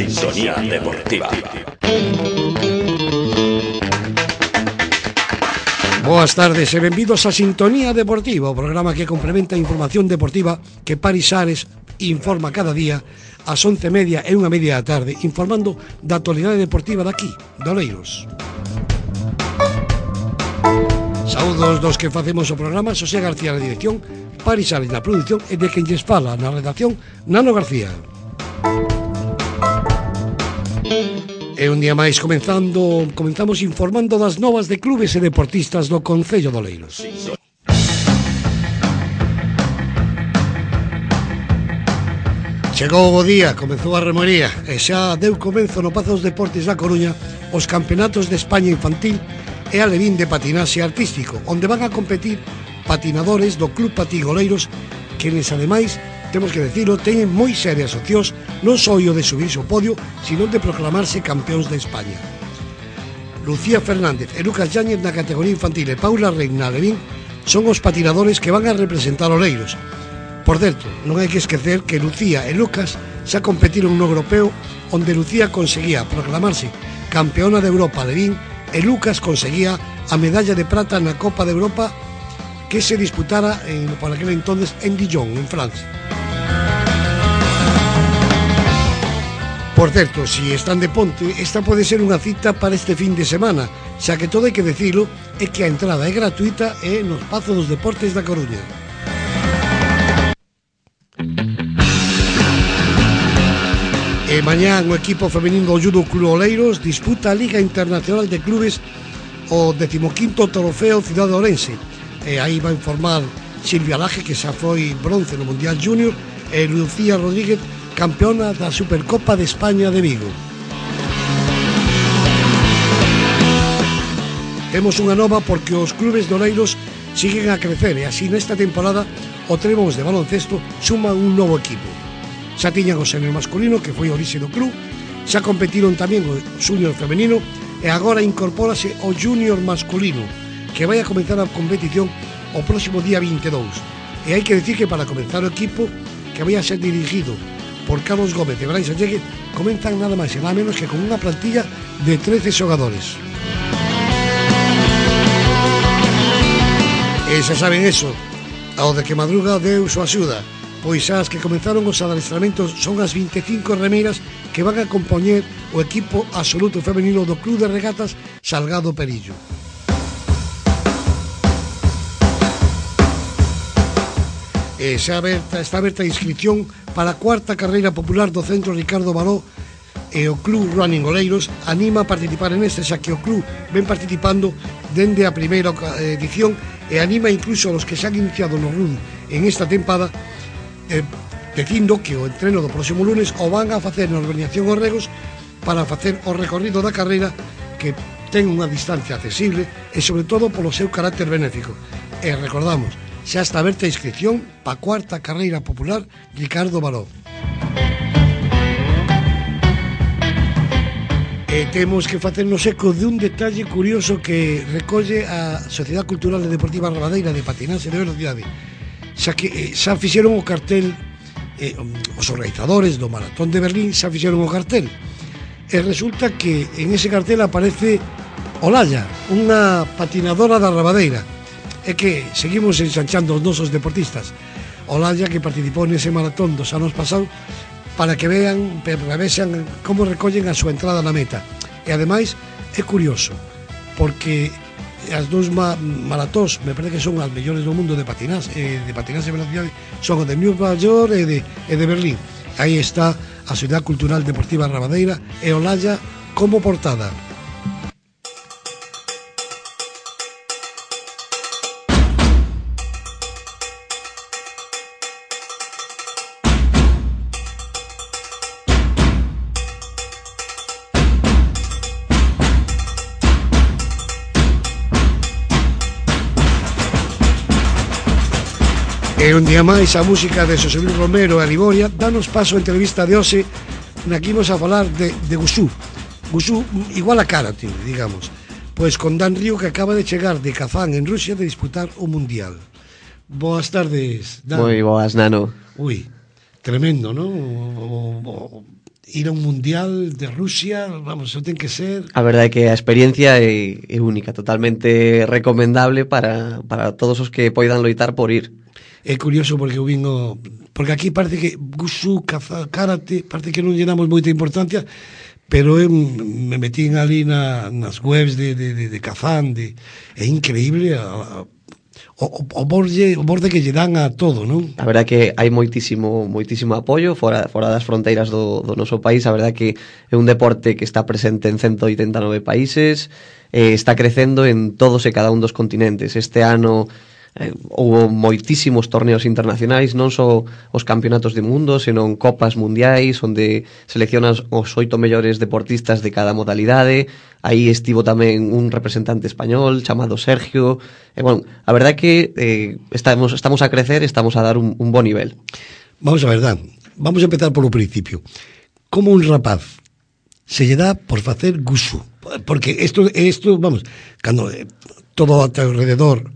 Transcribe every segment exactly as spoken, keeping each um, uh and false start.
Sintonía Deportiva. Boas tardes e benvidos a Sintonía Deportiva, o programa que complementa a información deportiva que Paris Ares informa cada día ás once e media e unha media da tarde, informando da actualidade deportiva daqui, de Oleiros. Saúdos dos que facemos o programa, Xosé García na dirección, Paris Ares na produción e de quen lles fala na redacción, Nano García. E un día máis comenzando, comenzamos informando das novas de clubes e deportistas do Concello de Oleiros. Chegou o día, comezou a remoría e xa deu comenzo no Pazo dos Deportes da Coruña os campeonatos de España infantil e alevín de patinaxe artístico, onde van a competir patinadores do Club Patín Oleiros, quenes ademais, temos que decirlo, teñen moi serias opcións non só o de subirse ao podio, sino de proclamarse campeóns de España. Lucía Fernández e Lucas Yáñez na categoría infantil e Paula Reina Alevín son os patinadores que van a representar Oleiros. Por certo, non hai que esquecer que Lucía e Lucas xa competiron no europeo, onde Lucía conseguía proclamarse campeona de Europa Alevín e Lucas conseguía a medalla de prata na Copa de Europa que se disputara en, por aquel entonces en Dijon, en Francia. Por certo, si están de ponte, esta pode ser unha cita para este fin de semana, xa que todo hai que decirlo é que a entrada é gratuita e nos Pazos dos Deportes da Coruña. E mañán o equipo femenino do Judo Club Oleiros disputa a Liga Internacional de Clubes o decimoquinto trofeo Cidade Ourense. E aí vai informar Silvia Laje, que xa foi bronce no Mundial Júnior, e Lucía Rodríguez, campeona da Supercopa de España de Vigo. Temos unha nova porque os clubes de Oleiros siguen a crecer e así nesta temporada o Tremons de baloncesto suma un novo equipo. Xa tiñan o senior masculino, que foi a orixe do club, xa competiron tamén o junior femenino e agora incorpórase o junior masculino, que vai a comenzar a competición o próximo día vinte e dous. E hai que decir que para comenzar o equipo, que vai a ser dirigido por Carlos Gómez e Brais Allegue, comenzan nada máis e nada menos que con unha plantilla de trece xogadores. E xa saben eso, ao de que madruga Deus o axuda, pois as que comenzaron os adestramentos son as vinte e cinco remeiras que van a compoñer o equipo absoluto femenino do Club de Regatas Salgado Perillo. E xa aberta, está aberta a inscripción para a cuarta carreira popular do Centro Ricardo Baró e o Club Running Oleiros anima a participar en este, xa que o club ven participando dende a primeira edición e anima incluso a los que se han iniciado no run en esta tempada, eh, dicindo que o entreno do próximo lunes o van a facer na organización os regos para facer o recorrido da carreira, que ten unha distancia accesible e sobre todo polo seu carácter benéfico. E recordamos, xa está aberta a inscripción para a cuarta carreira popular Ricardo Baró. E temos que facernos eco de un detalle curioso que recolle a Sociedade Cultural e Deportiva Rabadeira de Patinaxe de Velocidade, xa que xa fixeron o cartel, eh, os organizadores do Maratón de Berlín xa fixeron o cartel, e resulta que en ese cartel aparece Olalla, unha patinadora da Rabadeira. É que seguimos ensanchando os nosos deportistas. Olalla, que participou nese maratón dos anos pasados, para que vean, para vexan como recollen a súa entrada na meta. E ademais é curioso, porque as dous ma maratóns, me parece que son as mellores do mundo de patinaxe, eh, de patinaxe de velocidade, son o de Nova York e de, e de Berlín. Aí está a Sociedade Cultural Deportiva Rabadeira e Olalla como portada. E un día máis a música de Xosé Luis Romero e Aliboria danos paso a entrevista de hoxe na que imos a falar de, de Gusú. Gusú igual a karate, digamos. Pois con Dan Río, que acaba de chegar de Kazán en Rusia de disputar o Mundial. Boas tardes, Dan. Moi boas, Nano. Ui, tremendo, non? O, o, ir a un mundial de Rusia, vamos, eso ten que ser... A verdade é que a experiencia é, é única, totalmente recomendable para, para todos os que poidan loitar por ir. É curioso porque eu vino... Porque aquí parece que Wushu, caza, karate, parece que non lle damos moita importancia, pero eu me metí ali na, nas webs de, de, de, de Kazán, de, é increíble a, a, o, o, borde, o borde que lle dan a todo, non? A verdade que hai moitísimo moitísimo apoio fora, fora das fronteiras do, do noso país. A verdade que é un deporte que está presente en ciento oitenta e nove países, eh, está crecendo en todos e cada un dos continentes. Este ano eh, houve moitísimos torneos internacionais, non só os campeonatos de mundo, senón copas mundiais, onde seleccionan os oito mellores deportistas de cada modalidade. Aí estivo tamén un representante español chamado Sergio. E, bueno, a verdade é que eh, estamos, estamos a crecer, estamos a dar un, un bon nivel. Vamos a ver, Dan, vamos a empezar polo principio. Como un rapaz se lle dá por facer Wushu? Porque isto, isto vamos, cando eh, todo a teu alrededor,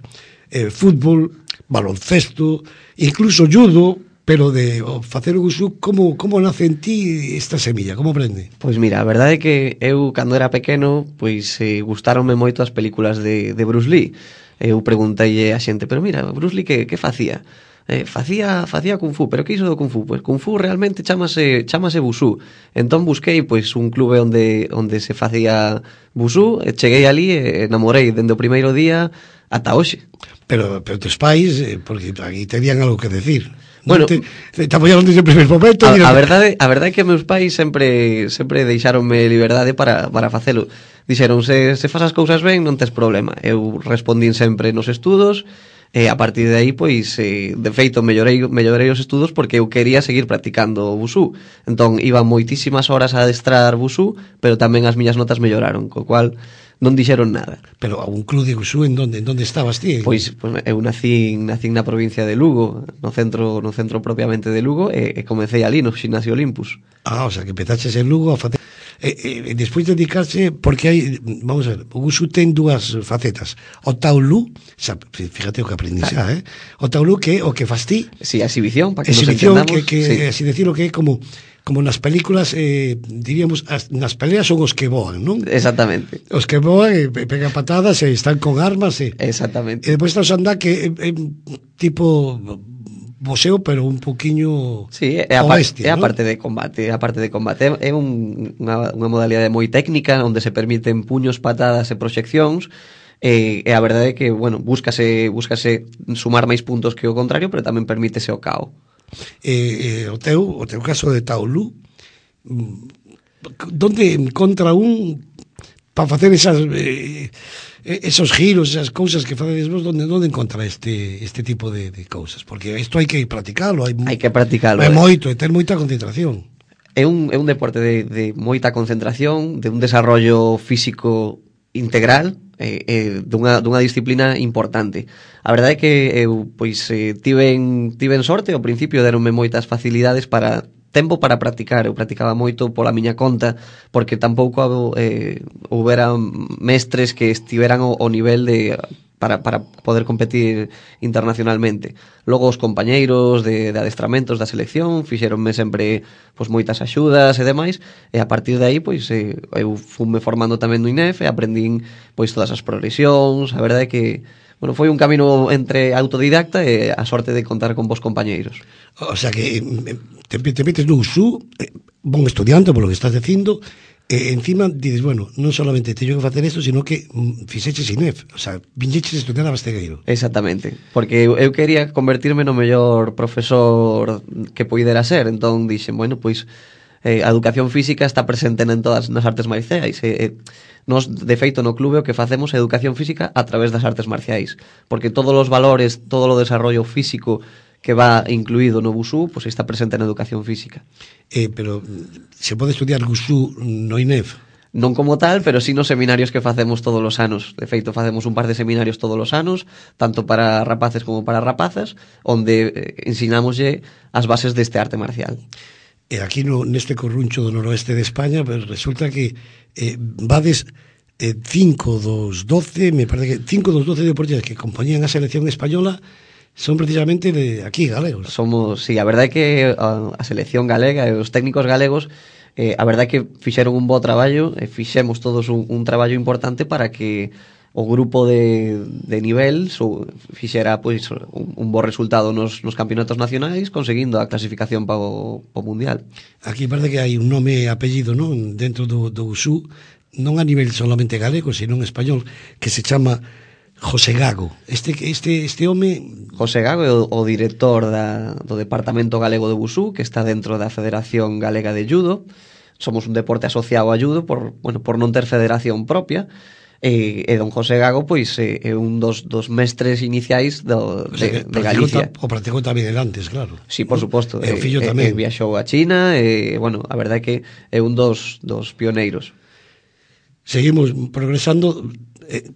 eh, fútbol, baloncesto, incluso judo, pero de oh, facer o Wushu, como, como nace en ti esta semilla? Como aprende? Pois mira, a verdade é que eu, cando era pequeno, pois eh, gustaronme moito as películas de, de Bruce Lee. Eu pregunteille a xente, pero mira, Bruce Lee que, que facía? Eh, facía facía Kung Fu, pero que iso do Kung Fu? Pois Kung Fu realmente chamase chamase Wushu. Entón busquei pois un clube onde onde se facía Wushu, e cheguei ali e enamorei dende o primeiro día ata hoxe. Pero, pero tes pais, eh, porque aquí tenían algo que decir. Bueno, te, te, te apoyaron desde o primeiro momento. A, a verdade, a verdade é que meus pais sempre sempre deixaronme liberdade para, para facelo. Dixeron, se, se fas as cousas ben, non tes problema. Eu respondín sempre nos estudos, e a partir de aí, pois, eh, de feito, mellorei, mellorei os estudos porque eu quería seguir practicando Wushu. Entón, iba moitísimas horas a adestrar Wushu, pero tamén as miñas notas melloraron, co cual non dixeron nada. Pero a un club de Wushu, en donde, en donde estabas ti? Pois, pois eu nací, nací na provincia de Lugo, no centro no centro propiamente de Lugo, e, e comecei ali no Ximnasio Olympus. Ah, o sea, que empezaches en Lugo a facer... E, e, despois de dedicarse, porque hai, vamos a ver, o Wushu ten dúas facetas. O Taolu, xa, fíjate o que aprendi xa, eh? O Taolu que é o que fas ti. Si, sí, a exhibición, para que exhibición, nos entendamos. Que, que sí. así decirlo, que é como como nas películas, eh, diríamos, as, nas peleas son os que voan, non? Exactamente. Os que voan e pegan patadas e están con armas e... Exactamente. E depois estás a andar que é, é tipo boxeo, pero un poquiño sí, é a, bestia, é a ¿no? parte de combate, é a parte de combate. É un, unha, unha modalidade moi técnica onde se permiten puños, patadas e proxeccións. E, e a verdade é que, bueno, búscase, búscase sumar máis puntos que o contrario, pero tamén permítese o cao. Eh, eh, o teu o teu caso de Taolu, donde encontra un para facer esas eh, esos giros, esas cousas que facedes vos, donde donde encontra este este tipo de, de cousas? Porque isto hai que practicalo, hai, hai que practicalo. É moito, e ter moita concentración. É un, é un deporte de, de moita concentración, de un desarrollo físico integral, eh, eh, dunha, dunha disciplina importante. A verdade é que eu pois eh, tiven, tiven sorte, ao principio deronme moitas facilidades para tempo para practicar. Eu practicaba moito pola miña conta, porque tampouco eh, houbera mestres que estiveran ao, ao nivel de para, para poder competir internacionalmente. Logo os compañeiros de, de adestramentos da selección fixeronme sempre pois, moitas axudas e demais, e a partir de aí pois, eh, eu fume formando tamén no I N E F e aprendín pois, todas as progresións. A verdade é que bueno, foi un camino entre autodidacta e a sorte de contar con vos compañeiros. O sea que te, te metes no Wushu, eh, bon estudiante, por lo que estás dicindo, e encima dices, bueno, non solamente teño que facer isto, sino que mm, fixeches I N E F, o sea, viñeches a estudiar a Bastegueiro. Exactamente, porque eu, eu quería convertirme no mellor profesor que poidera ser, entón dixen, bueno, pois eh, a educación física está presente en todas nas artes marciais, e eh, nos, de feito, no clube o que facemos é educación física a través das artes marciais, porque todos os valores, todo o desarrollo físico que va incluído no Wushu, pois está presente na educación física. Eh, pero se pode estudiar Wushu no I N E F? Non como tal, pero sí nos seminarios que facemos todos os anos. De feito, facemos un par de seminarios todos os anos, tanto para rapaces como para rapazas, onde eh, ensinámoslle as bases deste arte marcial. E aquí no, neste corruncho do noroeste de España, pues, resulta que eh, vades eh, cinco dos doce, me parece que cinco dos doce deportistas que compoñían a selección española son precisamente de aquí, galegos. Somos, sí, a verdade é que a, a selección galega e os técnicos galegos eh, a verdade é que fixeron un bo traballo, e fixemos todos un, un traballo importante para que o grupo de, de nivel so, fixera pois, un, un bo resultado nos, nos campeonatos nacionais, conseguindo a clasificación para o, o Mundial. Aquí parece que hai un nome e apellido, non, dentro do, do Wushu, non a nivel solamente galego, sino en español, que se chama José Gago. Este este este home... José Gago é o, o director da, do Departamento Galego de Wushu, que está dentro da Federación Galega de Judo. Somos un deporte asociado a judo por, bueno, por non ter federación propia. E, e don José Gago pois é, é un dos, dos mestres iniciais do, o sea, de, de Galicia. O practicou tamén el antes, claro. Sí, por suposto. E o fillo tamén. E, e viaxou a China e, bueno, a verdade é que é un dos, dos pioneiros. Seguimos progresando. eh,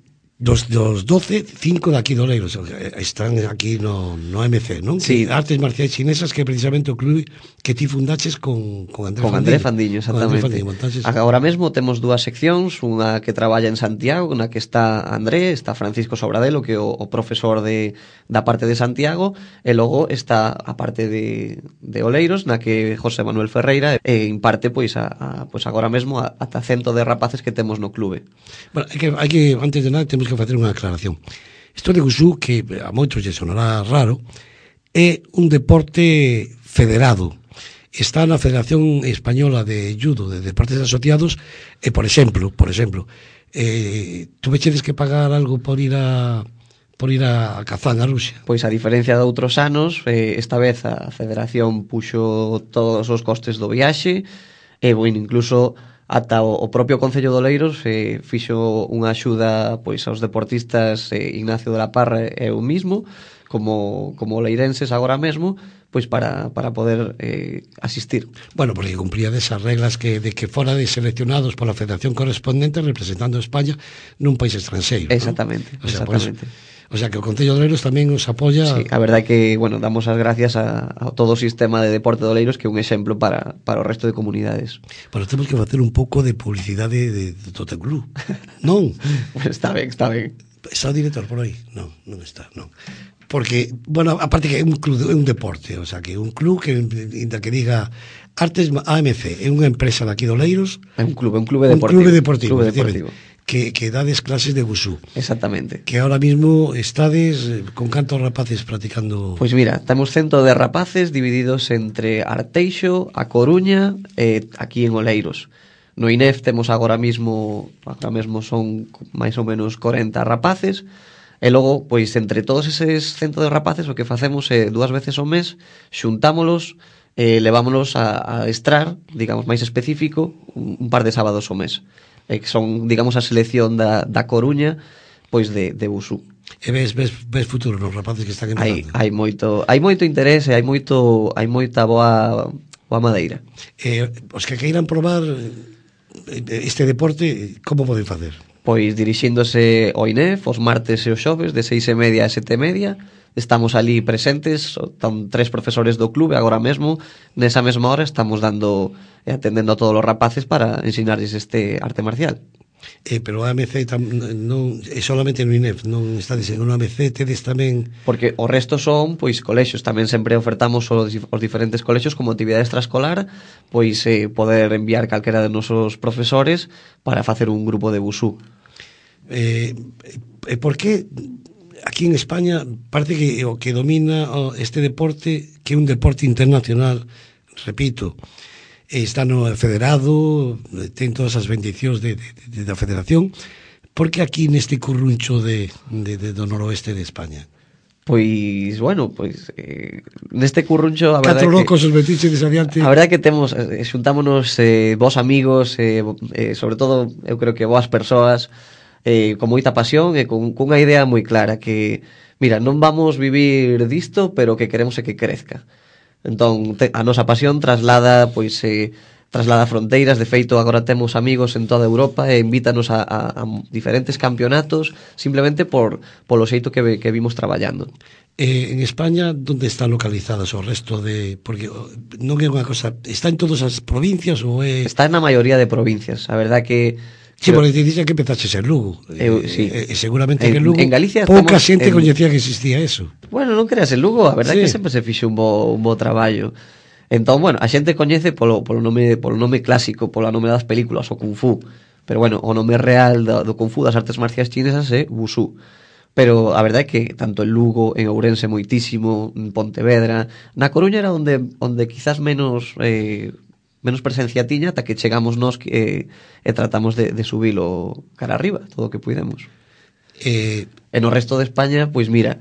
Dos, dos doce, cinco de aquí de Oleiros están aquí no, no M C, non? Sí. Artes marciais chinesas, que é precisamente o club que ti fundaches con, con Andrés con Andrés Fandiño, exactamente. Fandiño, entonces... Agora mesmo temos dúas seccións, unha que traballa en Santiago, na que está Andrés, está Francisco Sobradelo, que é o, o profesor de, da parte de Santiago, e logo está a parte de, de Oleiros, na que José Manuel Ferreira e imparte, pois, a, a, pois agora mesmo a, ata cento de rapaces que temos no clube. Bueno, hai que, hai que, antes de nada, temos que facer unha aclaración. Isto de Wushu, que a moitos lle sonará raro, é un deporte federado. Está na Federación Española de Judo, de Deportes Asociados, e, por exemplo, por exemplo, eh, tuvechedes que pagar algo por ir a por ir a Kazán, a Rusia? Pois a diferencia de outros anos, eh, esta vez a Federación puxo todos os costes do viaxe, e, bueno, incluso ata o, o propio Concello de Oleiros eh, fixo unha axuda pois aos deportistas eh, Ignacio de la Parra e eu mismo, como, como leirenses agora mesmo, pois para, para poder eh, asistir. Bueno, porque cumpría desas reglas que de que fora de seleccionados pola federación correspondente representando a España nun país estranxeiro. Exactamente, ¿no? O sea, exactamente. Pues, o sea, que o Concello de Oleiros tamén os apoia... Sí, a verdade é que, bueno, damos as gracias a, a todo o sistema de deporte de Oleiros, que é un exemplo para, para o resto de comunidades. Bueno, temos que facer un pouco de publicidade de, de todo o club. Non? Pues está ben, está ben. Está o director por aí? Non, non está, non. Porque, bueno, aparte que é un club, é un deporte, o sea, que é un club que, inda que diga Artes A M C, é unha empresa daqui de Oleiros. É un club, é un club deportivo. Un club deportivo, club deportivo. Que, que dades clases de Wushu. Exactamente. Que ahora mismo estades con cantos rapaces practicando... Pois mira, temos cento de rapaces divididos entre Arteixo, A Coruña e aquí en Oleiros. No I N E F temos agora mismo, agora mesmo son máis ou menos corenta rapaces, e logo, pois, entre todos eses cento de rapaces, o que facemos é dúas veces ao mes, xuntámolos e levámonos a, a estrar, digamos, máis específico, un, un par de sábados ao mes. E que son, digamos, a selección da, da Coruña, pois, de, de Wushu. E ves, ves, ves futuro nos rapaces que están Hai, empezando? hai moito, hai moito interese, hai moito, hai moita boa, boa madeira. Eh, os que queiran probar este deporte, como poden facer? Pois dirixíndose ao I N E F os martes e os xoves de seis e media a sete e media. Estamos ali presentes, están tres profesores do clube agora mesmo. Nesa mesma hora estamos dando e atendendo a todos os rapaces para ensinarles este arte marcial. Eh, pero a M C tam, non é solamente no I N E F, non estades en unha A M C, tedes tamén... Porque o resto son, pois, colexios. Tamén sempre ofertamos os, os diferentes colexios como actividade extraescolar, pois, eh, poder enviar calquera de nosos profesores para facer un grupo de Wushu. Eh, eh, por que aquí en España parece que o que domina este deporte, que é un deporte internacional, repito, está no federado, ten todas as bendicións de, de, de, da federación, porque aquí neste curruncho de, de, de, do noroeste de España? Pois, bueno, pois eh, neste curruncho a verdade Catro locos que, os metiches adiante. A verdade que temos eh, xuntámonos eh, vos amigos, eh, eh, sobre todo eu creo que boas persoas, eh, con moita pasión e con cunha idea moi clara que, mira, non vamos vivir disto, pero que queremos é que crezca. Entón, te, a nosa pasión traslada, pois, eh, traslada fronteiras. De feito, agora temos amigos en toda Europa e invítanos a, a, a diferentes campeonatos simplemente por polo xeito que, que vimos traballando. Eh, en España, onde están localizadas o resto de... Porque non é unha cosa... Está en todas as provincias ou é... Está na maioría de provincias. A verdade que... Sí, porque te dixen que empezaches en Lugo. Eu, sí. E, e seguramente en, que en Lugo en Galicia pouca xente en... coñecía que existía eso. Bueno, non creas, en Lugo a verdade sí. que sempre se fixe un bo, un bo traballo. Entón, bueno, a xente coñece polo, polo, nome, polo nome clásico, polo nome das películas, o Kung Fu. Pero bueno, o nome real do, do Kung Fu, das artes marciais chinesas, é Wushu. Pero a verdade é que tanto en Lugo, en Ourense moitísimo, en Pontevedra, na Coruña era onde, onde quizás menos... Eh, menos presencia tiña ata que chegamos nós eh, e tratamos de, de subilo cara arriba, todo o que puidemos. Eh, e no resto de España, pois mira,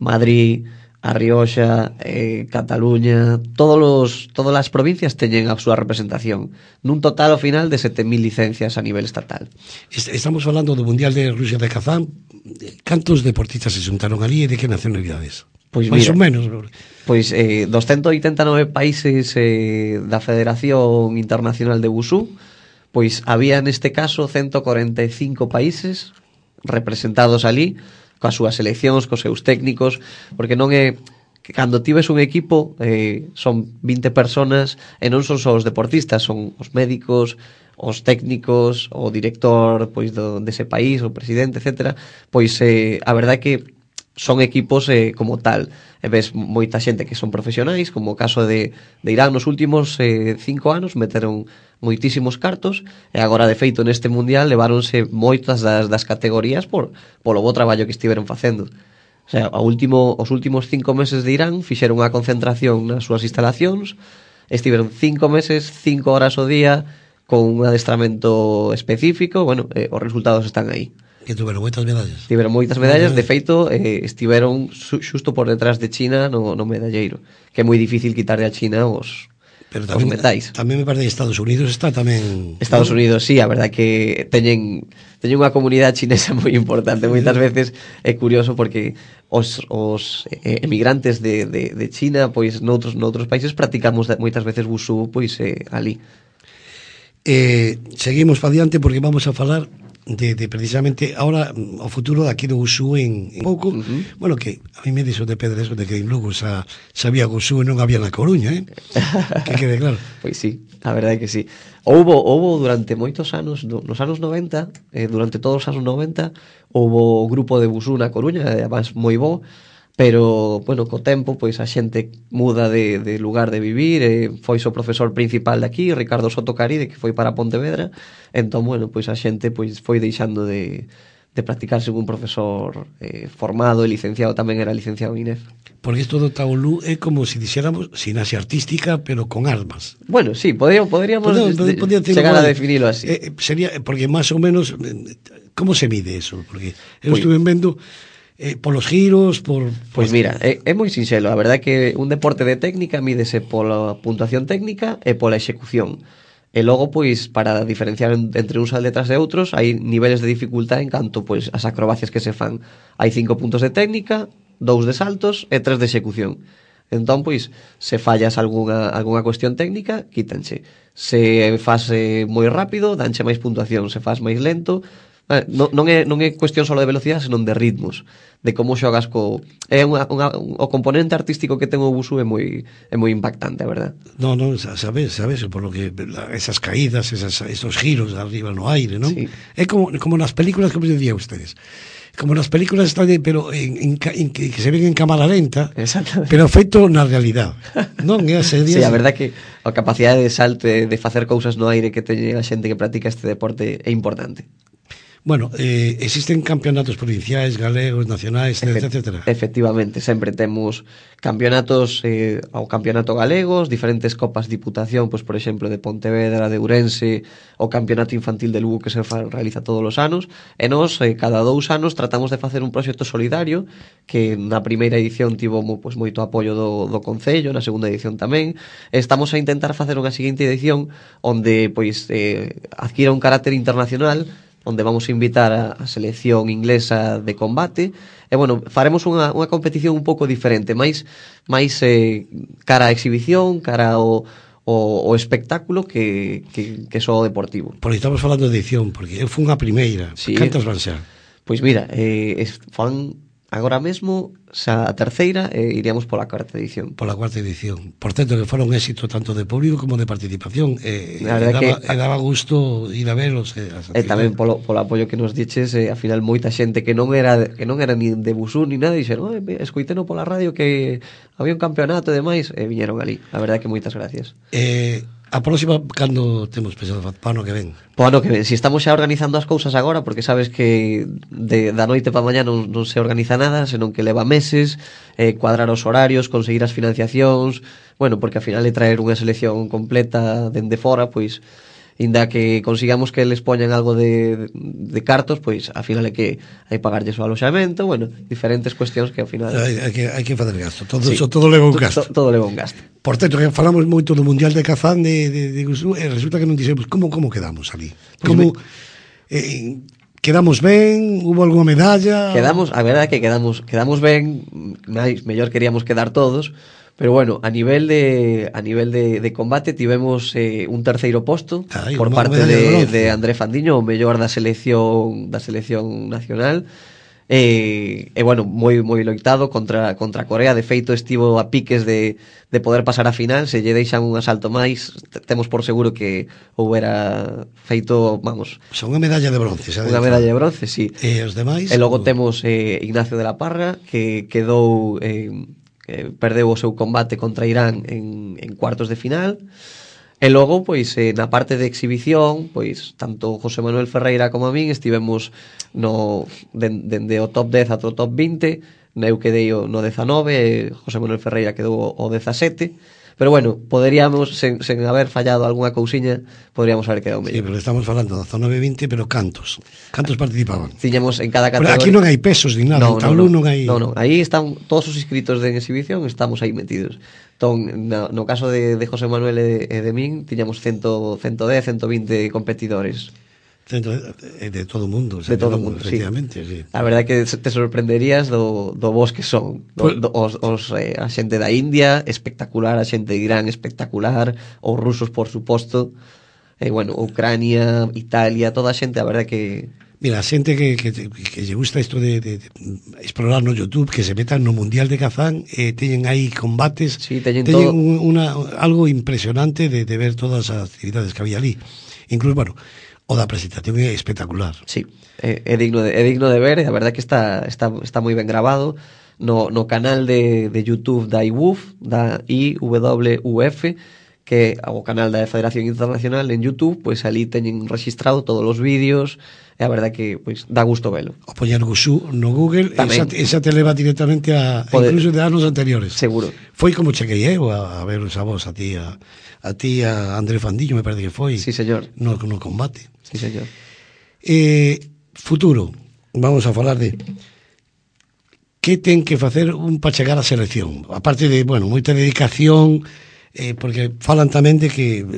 Madrid, A Rioxa, eh, Cataluña, todos los, todas as provincias teñen a súa representación, nun total ao final de sete mil licencias a nivel estatal. Estamos falando do Mundial de Rusia de Kazán. Cantos deportistas se xuntaron ali e de que nacionalidades? Pois máis mira, ou menos. Pois eh, dos ciento oitenta e nove países eh, da Federación Internacional de Wushu, pois había neste caso ciento cuarenta e cinco países representados ali, coas súas seleccións, cos seus técnicos, porque non é que cando tives un equipo eh, son vinte personas e non son só os deportistas, son os médicos, os técnicos, o director pois do, dese país, o presidente, etcétera. Pois eh, a verdade é que son equipos eh, como tal. E ves moita xente que son profesionais, como o caso de, de Irán nos últimos eh, cinco anos, meteron moitísimos cartos, e agora, de feito, neste mundial leváronse moitas das, das categorías por, polo bo traballo que estiveron facendo. O sea, a último, os últimos cinco meses de Irán fixeron unha concentración nas súas instalacións, estiveron cinco meses, cinco horas ao día, con un adestramento específico, bueno, eh, os resultados están aí. Que tuveron moitas medallas. Tiveron moitas medallas, de feito, eh, estiveron xusto por detrás de China no, no medalleiro, que é moi difícil quitarle a China os, pero tamén, os metais. Tamén me parece que Estados Unidos está tamén... Estados Unidos, sí, a verdade que teñen, teñen unha comunidade chinesa moi importante. Moitas veces é curioso porque os, os emigrantes de, de, de China, pois noutros, noutros países practicamos moitas veces Wushu, pois eh, ali. Eh, seguimos pa diante porque vamos a falar de, de precisamente ahora o futuro daqui do Wushu en, en pouco, uh -huh. Bueno, que a mí me dixo de pedra eso de que en Lugo xa sabía Wushu e non había na Coruña, eh? Que quede claro. Pois sí, a verdade é que sí. Houbo, houbo durante moitos anos, nos anos noventa, eh, durante todos os anos noventa, houbo o grupo de Wushu na Coruña, además moi bo, pero, bueno, co tempo, pois a xente muda de, de lugar de vivir, e foi o profesor principal de aquí, Ricardo Soto Caride, que foi para Pontevedra, entón, bueno, pois a xente pois foi deixando de, de practicar según un profesor eh, formado e licenciado, tamén era licenciado en I N E F. Porque isto do Taolú é como se si dixéramos gimnasia artística, pero con armas. Bueno, sí, podríamos, podríamos de, podría chegar a definirlo así. Eh, sería, porque máis ou menos, como se mide eso? Porque eu pues, estuve vendo... Eh, polos giros, por... Pois mira, é, é moi sinxelo. A verdade é que un deporte de técnica mídese pola puntuación técnica e pola execución. E logo, pois, para diferenciar entre uns atletas e outros, hai niveles de dificultad en canto, pois, as acrobacias que se fan. Hai cinco puntos de técnica, dous de saltos e tres de execución. Entón, pois, se fallas algunha, algunha cuestión técnica, quítanse. Se faz eh, moi rápido, danche máis puntuación. Se faz máis lento... Non, non, é, non é cuestión só de velocidade, senón de ritmos, de como xogas co... É unha, unha, o componente artístico que ten o Wushu é moi é moi impactante, a verdad. Non, non, sabes, sabes, por lo que esas caídas, esas, esos giros de arriba no aire, non? Sí. É como, como nas películas, como decía ustedes, como nas películas están, pero en, en, en, que se ven en cámara lenta, pero feito na realidade, non? É así, sí, a verdad que a capacidade de salto, de facer cousas no aire que teñe a xente que practica este deporte é importante. Bueno, eh, existen campeonatos provinciais, galegos, nacionais, Efect etcétera. Efectivamente, sempre temos campeonatos eh, ao campeonato galegos, diferentes copas de diputación, pois por exemplo de Pontevedra, de Ourense, o campeonato infantil de Lugo que se realiza todos os anos, e nós eh, cada dous anos tratamos de facer un proxecto solidario que na primeira edición tivo pois, moito apoio do, do Concello, na segunda edición tamén. Estamos a intentar facer unha seguinte edición onde pois eh, adquira un carácter internacional, onde vamos a invitar a, a selección inglesa de combate, e, bueno, faremos unha, unha competición un pouco diferente, máis, máis eh, cara a exhibición, cara ao, o, o espectáculo que, que, que só o deportivo. Porque estamos falando de edición, porque eu fui unha primeira, sí, cantas van ser? Pois mira, eh, fan agora mesmo xa a terceira e iríamos pola cuarta edición. Pola cuarta edición. Por certo, que fora un éxito tanto de público como de participación. E, e, daba, que, e daba gusto ir a veros. E, e tamén polo, polo apoio que nos diches, e, a final moita xente que non era que non era ni de Busú ni nada, dixeron, oh, escoiteno pola radio que había un campeonato e demais, e viñeron ali. A verdade que moitas gracias. Eh... A próxima, cando temos pensado para ano que ven? Para ano que ven, si estamos xa organizando as cousas agora, porque sabes que de, da noite para mañá non, non se organiza nada, senón que leva meses, eh, cuadrar os horarios, conseguir as financiacións, bueno, porque ao final de traer unha selección completa dende fora, pois, inda que consigamos que les poñan algo de, de cartos, pois, ao final é que hai pagarlles o aloxamento, bueno, diferentes cuestións que ao final... Hai, hai, que, hai que fazer gasto, todo, sí, eso, todo leva un gasto. To, todo leva un gasto. Por certo, que falamos moito do Mundial de Kazán de, de, de Gusú, e resulta que non dixemos como, como quedamos ali. Como, eh, quedamos ben, hubo alguna medalla? Quedamos, a verdade é que quedamos, quedamos ben, máis, mellor queríamos quedar todos, pero bueno, a nivel de a nivel de, de combate tivemos eh, un terceiro posto. Ay, por parte de, de André Fandiño, o mellor da selección da selección nacional. E, e bueno, moi moi loitado contra contra Corea. De feito estivo a piques de, de poder pasar a final. Se lle deixan un asalto máis, temos por seguro que houbera feito, vamos, o sea, unha medalla de bronce, xa unha medalla de bronce, sí. E os demais? E logo temos eh, Ignacio de la Parra, que quedou eh, que perdeu o seu combate contra Irán en, en cuartos de final. E logo, pois, eh, na parte de exhibición, pois, tanto José Manuel Ferreira como a min estivemos no dende de, o top dez ata o top vinte, eu quedei no dezanove, e José Manuel Ferreira quedou o dezasete, pero bueno, poderíamos, sen, sen haber fallado algunha cousiña, poderíamos haber quedado mellor. Sí, pero estamos falando de dezanove vinte, pero cantos? Cantos participaban? Tiñamos en cada categoría. Pero aquí non hai pesos ni nada, no, en tablú non, non, non hai... Non, non, aí están todos os inscritos de exhibición, estamos aí metidos. Entón, no, no caso de, de José Manuel e de, e de min, tiñamos cien, ciento dez, ciento vinte competidores. Centro de, de todo o mundo, o sea, de todo o mundo, efectivamente, sí. sí. A verdade é que te sorprenderías do, do vos que son, do, do, os, os, eh, a xente da India, espectacular, a xente de Irán, espectacular, os rusos, por suposto, e, bueno, Ucrania, Italia, toda a xente, a verdade que... Mira, a xente que, que, que lle gusta isto de, de, de explorar no YouTube, que se metan no Mundial de Kazán, eh, teñen aí combates, sí, teñen, teñen todo... una, algo impresionante de, de ver todas as actividades que había ali. Incluso, bueno, o da presentación é espectacular. Sí, é, é digno de é digno de ver, e a verdade que está está está moi ben grabado no no canal de de YouTube da I W U F, da I W U F, que é o canal da Federación Internacional en YouTube, pois ali teñen registrado todos os vídeos, e a verdade que pois dá gusto velo. O poñer Gusú no Google, esa, esa te leva directamente a Poder, incluso de anos anteriores. Seguro. Foi como chequei eu a, a ver esa voz a ti a, a ti a André Fandiño, me parece que foi. Sí, señor. No, no combate. Sí, señor. Eh, futuro, vamos a falar de que ten que facer un para chegar á selección. Aparte de, bueno, moita dedicación, eh, porque falan tamén de que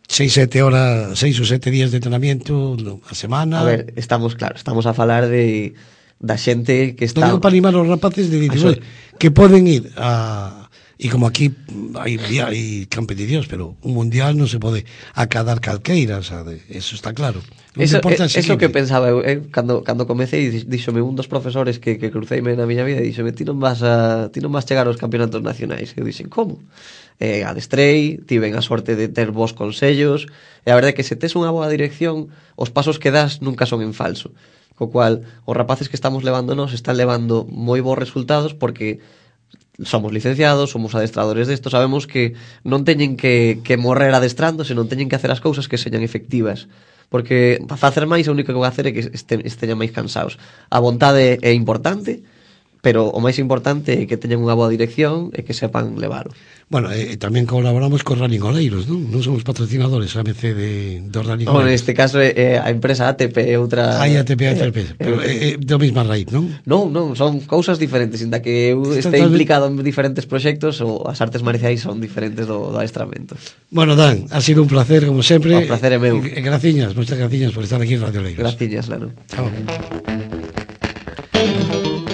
seis, sete horas, seis ou sete días de entrenamiento a semana. A ver, estamos, claro, estamos a falar de da xente que está... Non digo para animar os rapaces de dicir, que poden ir a... E como aquí hai, hai competicións, pero un mundial non se pode acadar calqueira, sabe? Eso está claro. Eso, é, eso que pensaba eu, eh, cando, cando comecei, díxome un dos profesores que, que cruceime na miña vida, díxome, ti non vas a ti non vas chegar aos campeonatos nacionais. Eu dixen, como? Eh, adestrei, tiven a sorte de ter bons consellos, e a verdade é que se tes unha boa dirección, os pasos que das nunca son en falso. Co cual, os rapaces que estamos levándonos están levando moi bons resultados porque somos licenciados, somos adestradores desto, sabemos que non teñen que, que morrer adestrando, senón teñen que hacer as cousas que señan efectivas, porque para facer máis o único que vai hacer é que este, esteñan máis cansados. A vontade é importante, pero o máis importante é que teñan unha boa dirección e que sepan leválo. Bueno, e eh, tamén colaboramos con Running Oleiros, non? Non somos patrocinadores A M C de, de Running Oleiros. Bueno, neste caso é eh, a empresa A T P, outra... Hai A T P, A T P, eh, pero é eh, eh, do mesma raíz, non? Non, non, son cousas diferentes, inda que eu este implicado en diferentes proxectos, ou as artes marciais son diferentes do, do adestramento. Bueno, Dan, ha sido un placer, como sempre. O placer é meu. E, e graciñas, moitas graciñas por estar aquí en Radio Oleiros. Graciñas, Lano. Chao.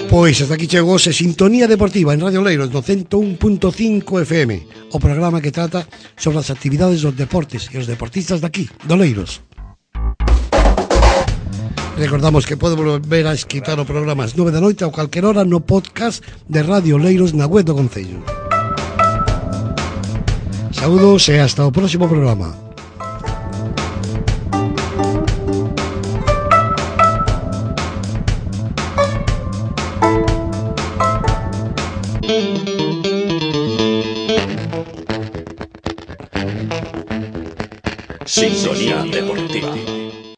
Pois hasta aquí chegou se Sintonía Deportiva en Radio Oleiros do cento un punto cinco F M, o programa que trata sobre as actividades dos deportes e os deportistas daqui, de Oleiros. Recordamos que pode volver a esquitar o programa ás nove da noite a calquer hora no podcast de Radio Leiros na web do Concello. Saúdos e hasta o próximo programa. Sintonía Deportiva.